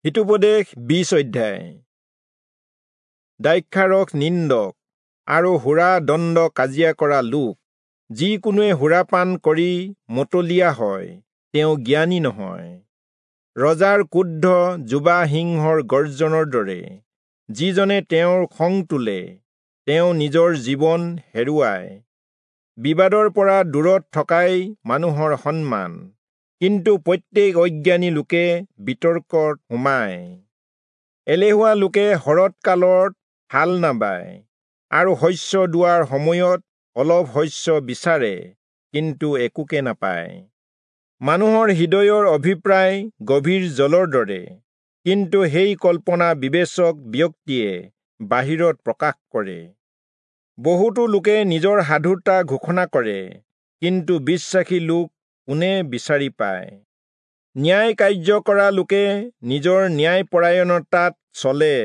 হিতোপদেশ 20 অধ্যায়। দ্ৰাক্ষাৰস নিন্দক আৰু সুৰা দণ্ড কাজিয়া কৰা লোক। যিকোনোৱে সুৰাপান কৰি মতলীয়া হয়, তেওঁ জ্ঞানী নহয়। ৰজাৰ ক্ৰোধ যুৱা সিংহৰ গৰ্জনৰ দৰে। যিজনে তেওঁৰ খং তোলে, তেওঁ নিজৰ জীৱন হেৰুৱায়। বিবাদৰ পৰা দূৰত থকাই মানুহৰ সন্মান, কিন্তু প্ৰত্যেক অজ্ঞানী লোকে বিতৰ্কত সোমায়। এলেহুৱা লোকে শৰৎ কালত হাল নাবায় আৰু শস্য দোৱাৰ সময়ত অলপ শস্য বিচাৰে, কিন্তু একোকে নাপায়। মানুহৰ হৃদয়ৰ অভিপ্ৰায় গভীৰ জলৰ দৰে, কিন্তু সেই কল্পনা বিবেচক ব্যক্তিয়ে বাহিৰত প্ৰকাশ কৰে। বহুতো লোকে নিজৰ সাধুতা ঘোষণা কৰে, কিন্তু বিশ্বাসী লোক কোনে বিচাৰি পায়? ন্যায় কাৰ্য কৰা লোকে নিজৰ ন্যায়পৰায়ণতাত চলে,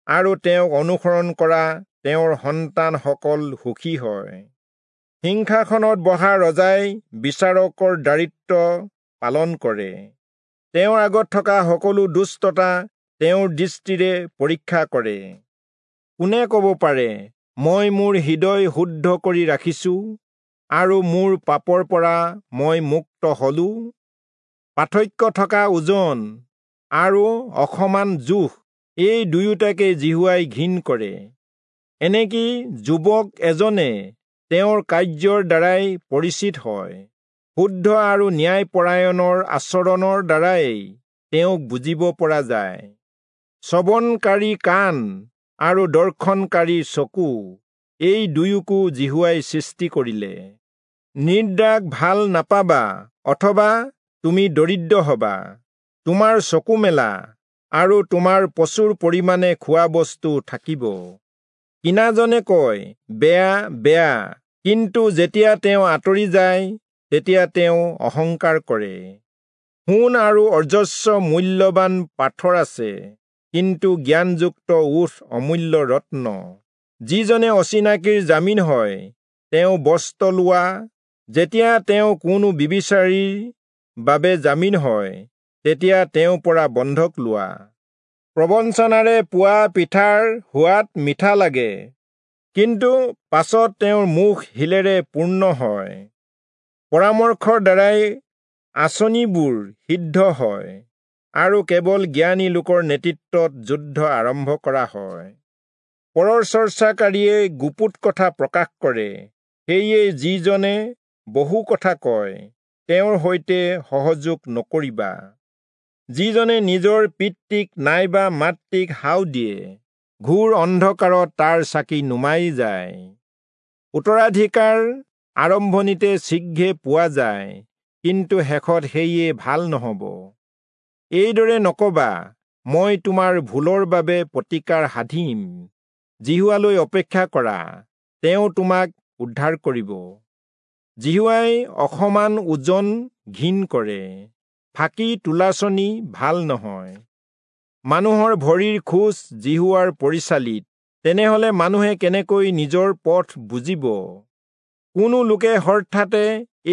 আৰু তেওঁক অনুসৰণ কৰা তেওঁৰ সন্তানসকল সুখী হয়। সিংহাসনত বহা ৰজাই বিচাৰকৰ দায়িত্ব পালন কৰে। তেওঁৰ আগত থকা সকলো দুষ্টতা তেওঁৰ দৃষ্টিৰে পৰীক্ষা কৰে। কোনে ক'ব পাৰে, মই মোৰ হৃদয় শুদ্ধ কৰি ৰাখিছো আৰু মোৰ পাপৰ পৰা মই মুক্ত হলো? পাৰ্থক্য থকা ওজন আৰু অসমান জোখ, এই দুয়োটাকে যিহোৱাই ঘিণ কৰে। এনেকি যুৱক এজনে তেওঁৰ কাৰ্যৰ দ্বাৰাই পৰিচিত হয়, শুদ্ধ আৰু ন্যায়পৰায়ণৰ আচৰণৰ দ্বাৰাই তেওঁক বুজিব পৰা যায়। শ্ৰৱণকাৰী কাণ আৰু দৰ্শনকাৰী চকু, এই দুয়োকো যিহোৱাই সৃষ্টি কৰিলে। নিদ্ৰাক ভাল নাপাবা, অথবা তুমি দৰিদ্ৰ হবা। তোমাৰ চকু মেলা আৰু তোমাৰ প্ৰচুৰ পৰিমাণে খোৱা বস্তু থাকিব। কিনাজনে কয়, বেয়া বেয়া, কিন্তু যেতিয়া তেওঁ আঁতৰি যায়, তেতিয়া তেওঁ অহংকাৰ কৰে। সোণ আৰু অজস্ৰ মূল্যৱান পাথৰ আছে, কিন্তু জ্ঞানযুক্ত ওঁঠ অমূল্য ৰত্ন। যিজনে অচিনাকিৰ জামিন হয়, তেওঁ বস্ত্ৰ লোৱা। যেতিয়া তেওঁ কোনো বিবিচাৰীৰ বাবে জামিন হয়, তেতিয়া তেওঁৰ পৰা বন্ধক লোৱা। প্ৰবঞ্চনাৰে পোৱা পিঠাৰ সোৱাদ মিঠা লাগে, কিন্তু পাছত তেওঁৰ মুখ শিলেৰে পূৰ্ণ হয়। পৰামৰ্শৰ দ্বাৰাই আঁচনিবোৰ সিদ্ধ হয়, আৰু কেৱল জ্ঞানী লোকৰ নেতৃত্বত যুদ্ধ আৰম্ভ কৰা হয়। পৰৰ চৰ্চাকাৰীয়ে গুপুত কথা প্ৰকাশ কৰে, সেয়ে যিজনে বহু কথা কয়, তেওঁৰ সৈতে সহযোগ নকৰিবা। যিজনে নিজৰ পিতৃক নাইবা মাতৃক হাও দিয়ে, ঘোৰ অন্ধকাৰত তাৰ চাকি নুমাই যায়। উত্তৰাধিকাৰ আৰম্ভণিতে শীঘ্ৰে পোৱা যায়, কিন্তু শেষত সেয়ে ভাল নহ'ব। এইদৰে নকবা, মই তোমাৰ ভুলৰ বাবে প্ৰতিকাৰ সাধিম। যিহোৱালৈ অপেক্ষা কৰা, তেওঁ তোমাক উদ্ধাৰ কৰিব। যিহোৱাই অসমান ওজন ঘিণ কৰে, ফাঁকি তুলাচনী ভাল নহয়। মানুহৰ ভৰিৰ খোজ যিহোৱাৰ পৰিচালিত, তেনেহলে মানুহে কেনেকৈ নিজৰ পথ বুজিব? কোনো লোকে হঠাতে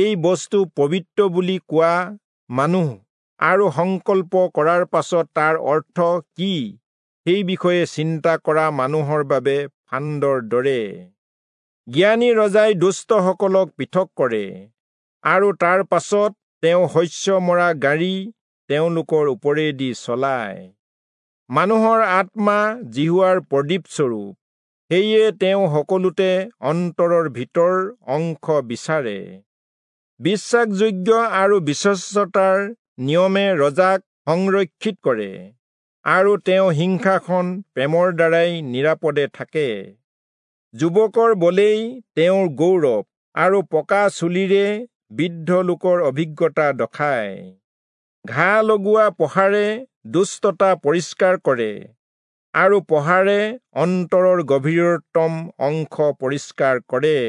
এই বস্তু পবিত্ৰ বুলি কোৱা মানুহ আৰু সংকল্প কৰাৰ পাছত তাৰ অৰ্থ কি সেই বিষয়ে চিন্তা কৰা মানুহৰ বাবে ফান্দৰ দৰে। জ্ঞানী ৰজাই দুষ্টসকলক পৃথক কৰে, আৰু তাৰ পাছত তেওঁ শস্য মৰা গাড়ী তেওঁলোকৰ ওপৰেদি চলায়। মানুহৰ আত্মা যিহোৱাৰ প্ৰদীপস্বৰূপ, সেয়ে তেওঁ সকলোতে অন্তৰৰ ভিতৰ অংশ বিচাৰে। বিশ্বাসযোগ্য আৰু বিশ্বস্ততাৰ নিয়মে ৰজাক সংৰক্ষিত কৰে, আৰু তেওঁ সিংহাসন প্ৰেমৰ দ্বাৰাই নিৰাপদে থাকে। যুৱকৰ বলেই তেওঁৰ গৌৰৱ, আৰু পকা চুলিৰে বৃদ্ধ লোকৰ অভিজ্ঞতা দখায়। ঘাঁ লগোৱা পহাৰে দুষ্টতা পৰিষ্কাৰ কৰে, আৰু পহাৰে অন্তৰৰ গভীৰতম অংশ পৰিষ্কাৰ কৰে।